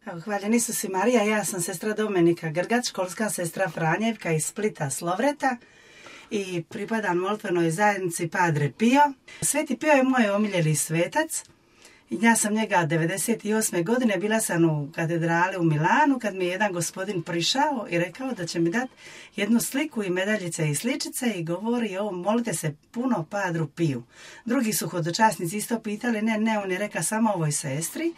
Evo, hvaljen Isus i Marija, ja sam sestra Domenika Grgač, školska sestra Franjevka iz Splita Slovreta i pripadam molitvenoj zajednici Padre Pio. Sveti Pio je moj omiljeni svetac. Ja sam njega 98. godine, bila sam u katedrali u Milanu kad mi je jedan gospodin prišao i rekao da će mi dati jednu sliku i medaljice i sličice i govori molite se puno Padru Piju. Drugi su hodočasnici isto pitali, ne, on je rekao samo ovoj sestri.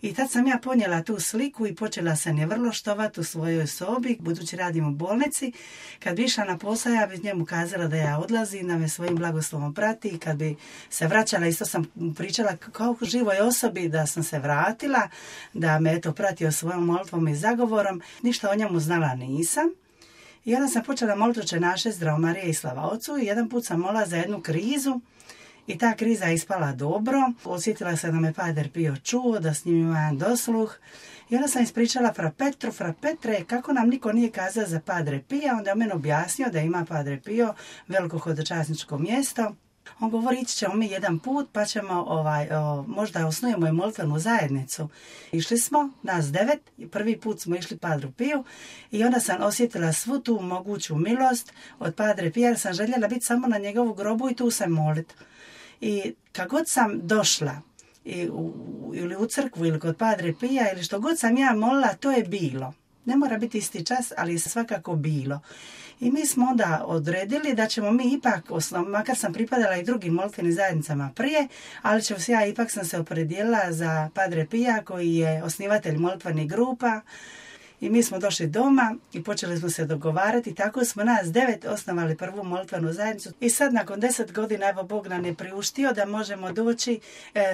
I tad sam ja ponijela tu sliku i počela sam je vrlo štovati u svojoj sobi, budući radim u bolnici. Kad bi išla na posao, ja bi njemu kazala da ja odlazim, da me svojim blagoslovom prati i kad bi se vraćala, isto sam pričala kao živoj osobi da sam se vratila, da me pratio svojom molitvom i zagovorom. Ništa o njemu znala nisam. I onda sam počela moliti Oče naše, Zdravo Marije i slava Ocu i jedan put sam molila za jednu krizu. I ta kriza je ispala dobro. Osjetila sam da me Padre Pio čuo, da s njim ima jedan dosluh. I onda sam ispričala fra Petre, kako nam niko nije kazao za Padre Pija. Onda je meni objasnio da ima Padre Pio veliko hodočasničko mjesto. On govori, ići ćemo mi jedan put pa ćemo možda osnujemo i molitvenu zajednicu. Išli smo, nas 9, prvi put smo išli Padru Piju i onda sam osjetila svu tu moguću milost od Padre Pija jer sam željela biti samo na njegovu grobu i tu se moliti. I kad god sam došla ili u crkvu ili kod Padre Pija ili što god sam ja molila, to je bilo. Ne mora biti isti čas, ali svakako bilo. I mi smo onda odredili da ćemo mi ipak, makar sam pripadala i drugim molitvenim zajednicama prije, ali ipak sam se opredijelila za Padre Pija koji je osnivatelj molitvenih grupa. I mi smo došli doma i počeli smo se dogovarati. Tako smo nas 9 osnovali prvu molitvenu zajednicu. I sad nakon 10 godina, evo Bog nam je priuštio da možemo doći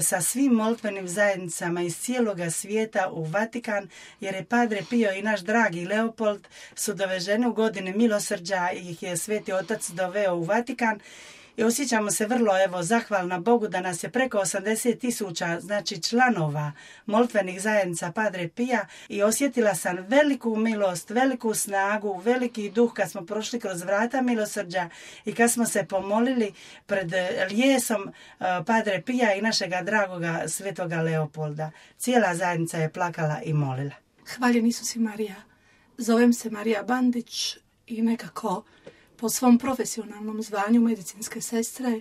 sa svim molitvenim zajednicama iz cijeloga svijeta u Vatikan, jer je Padre Pio i naš dragi Leopold su doveženi u godini milosrđa i ih je Sveti Otac doveo u Vatikan. I osjećamo se vrlo zahvalna Bogu da nas je preko 80,000 članova molitvenih zajednica Padre Pija i osjetila sam veliku milost, veliku snagu, veliki duh kad smo prošli kroz vrata milosrđa i kad smo se pomolili pred lijesom Padre Pija i našega dragoga svetoga Leopolda. Cijela zajednica je plakala i molila. Hvaljen Isus i Marija. Zovem se Marija Bandić i nekako po svom profesionalnom zvanju medicinske sestre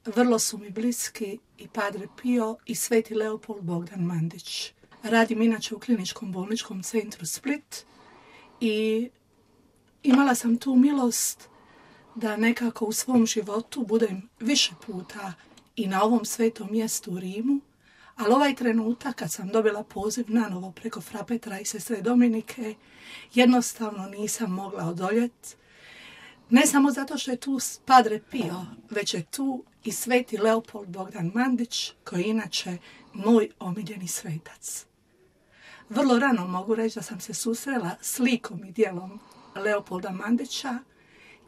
vrlo su mi bliski i Padre Pio i Sveti Leopold Bogdan Mandić. Radim inače u kliničkom bolničkom centru Split i imala sam tu milost da nekako u svom životu budem više puta i na ovom svetom mjestu u Rimu, ali ovaj trenutak kad sam dobila poziv nanovo preko fra Petra i sestre Dominike, jednostavno nisam mogla odoljeti. Ne samo zato što je tu Padre Pio, već je tu i Sveti Leopold Bogdan Mandić, koji je inače moj omiljeni svetac. Vrlo rano mogu reći da sam se susrela s likom i djelom Leopolda Mandića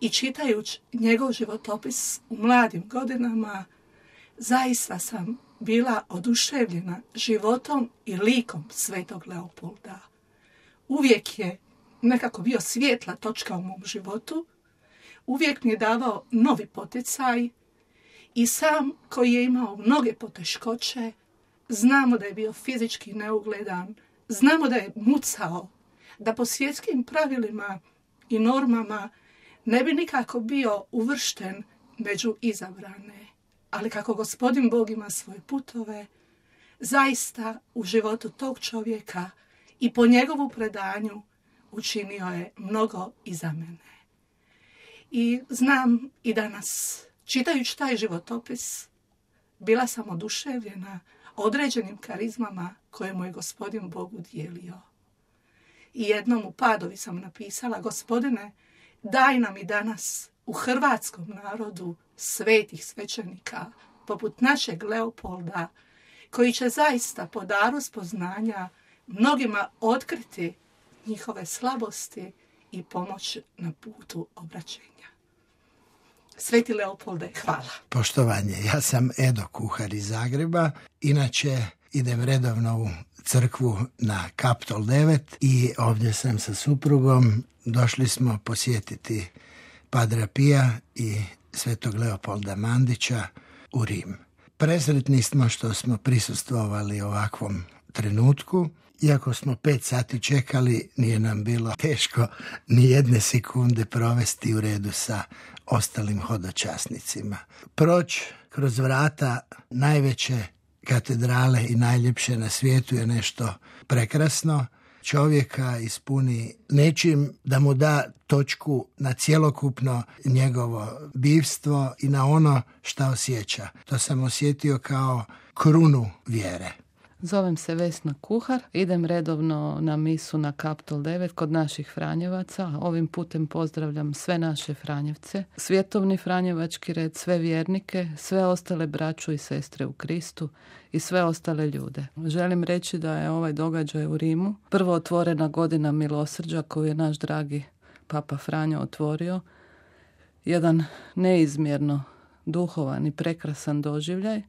i čitajući njegov životopis u mladim godinama, zaista sam bila oduševljena životom i likom Svetog Leopolda. Uvijek je nekako bio svjetla točka u mom životu, uvijek mi je davao novi poticaj i sam koji je imao mnoge poteškoće, znamo da je bio fizički neugledan, znamo da je mucao, da po svjetskim pravilima i normama ne bi nikako bio uvršten među izabrane. Ali kako Gospodin Bog ima svoje putove, zaista u životu tog čovjeka i po njegovu predanju učinio je mnogo i za mene. I znam i danas, čitajući taj životopis, bila sam oduševljena određenim karizmama koje mu je Gospodin Bog udijelio. I jednom u Padovi sam napisala: Gospodine, daj nam i danas u hrvatskom narodu svetih svećenika, poput našeg Leopolda, koji će zaista po daru spoznanja mnogima otkriti njihove slabosti i pomoć na putu obraćenja. Sveti Leopolde, hvala. Poštovanje, ja sam Edo Kuhar iz Zagreba. Inače, idem redovno u crkvu na Kaptol 9 i ovdje sam sa suprugom. Došli smo posjetiti Padra Pija i Svetog Leopolda Mandića u Rim. Presretni smo što smo prisustvovali ovakvom trenutku Iako smo 5 sati čekali, nije nam bilo teško ni jedne sekunde provesti u redu sa ostalim hodočasnicima. Proći kroz vrata najveće katedrale i najljepše na svijetu je nešto prekrasno. Čovjeka ispuni nečim da mu da točku na cjelokupno njegovo bivstvo i na ono šta osjeća. To sam osjetio kao krunu vjere. Zovem se Vesna Kuhar, idem redovno na misu na Kaptol 9 kod naših Franjevaca. Ovim putem pozdravljam sve naše Franjevce, svjetovni Franjevački red, sve vjernike, sve ostale braću i sestre u Kristu i sve ostale ljude. Želim reći da je ovaj događaj u Rimu prvo otvorena godina milosrđa koju je naš dragi Papa Franjo otvorio. Jedan neizmjerno duhovan i prekrasan doživljaj.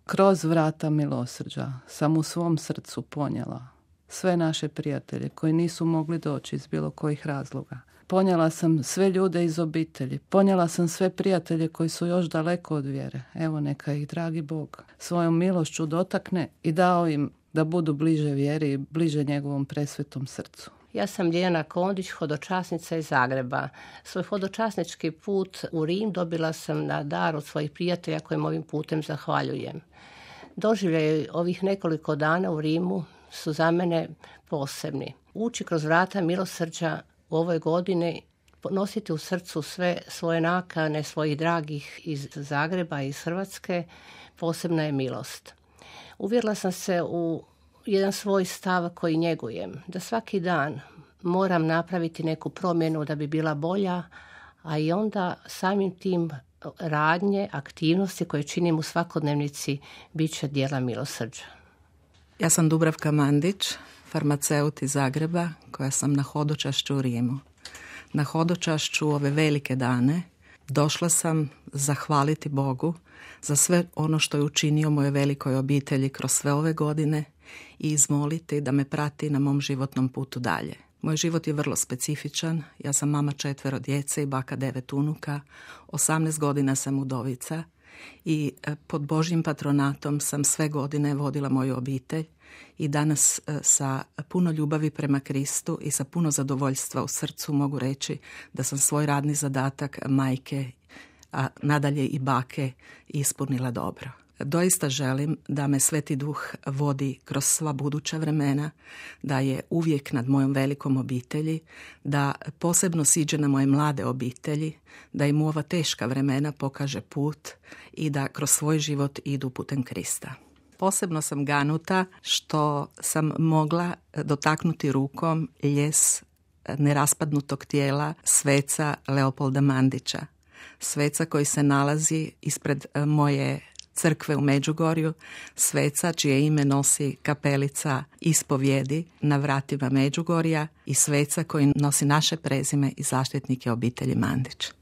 Kroz vrata milosrđa sam u svom srcu ponijela sve naše prijatelje koji nisu mogli doći iz bilo kojih razloga. Ponijela sam sve ljude iz obitelji, ponijela sam sve prijatelje koji su još daleko od vjere. Evo neka ih dragi Bog svojom milošću dotakne i dao im da budu bliže vjeri i bliže njegovom presvetom srcu. Ja sam Ljiljana Kondić, hodočasnica iz Zagreba. Svoj hodočasnički put u Rim dobila sam na dar od svojih prijatelja kojim ovim putem zahvaljujem. Doživljaj ovih nekoliko dana u Rimu su za mene posebni. Ući kroz vrata milosrđa u ovoj godini, nositi u srcu sve svoje nakane, svojih dragih iz Zagreba i iz Hrvatske, posebna je milost. Uvjerila sam se u jedan svoj stav koji njegujem, da svaki dan moram napraviti neku promjenu da bi bila bolja, a i onda samim tim radnje, aktivnosti koje činim u svakodnevnici bit će djela milosrđa. Ja sam Dubravka Mandić, farmaceut iz Zagreba, koja sam na hodočašću u Rimu. Na hodočašću ove velike dane došla sam zahvaliti Bogu za sve ono što je učinio mojoj velikoj obitelji kroz sve ove godine i izmoliti da me prati na mom životnom putu dalje. Moj život je vrlo specifičan. Ja sam mama 4 djece i baka 9 unuka. 18 godina sam udovica i pod Božjim patronatom sam sve godine vodila moju obitelj i danas sa puno ljubavi prema Kristu i sa puno zadovoljstva u srcu mogu reći da sam svoj radni zadatak majke, a nadalje i bake ispunila dobro. Doista želim da me Sveti Duh vodi kroz sva buduća vremena, da je uvijek nad mojom velikom obitelji, da posebno siđe na moje mlade obitelji, da im u ova teška vremena pokaže put i da kroz svoj život idu putem Krista. Posebno sam ganuta što sam mogla dotaknuti rukom ljes neraspadnutog tijela sveca Leopolda Mandića. Sveca koji se nalazi ispred moje crkve u Međugorju, sveca čije ime nosi kapelica ispovjedi na vratima Međugorja i sveca koji nosi naše prezime i zaštitnike obitelji Mandić.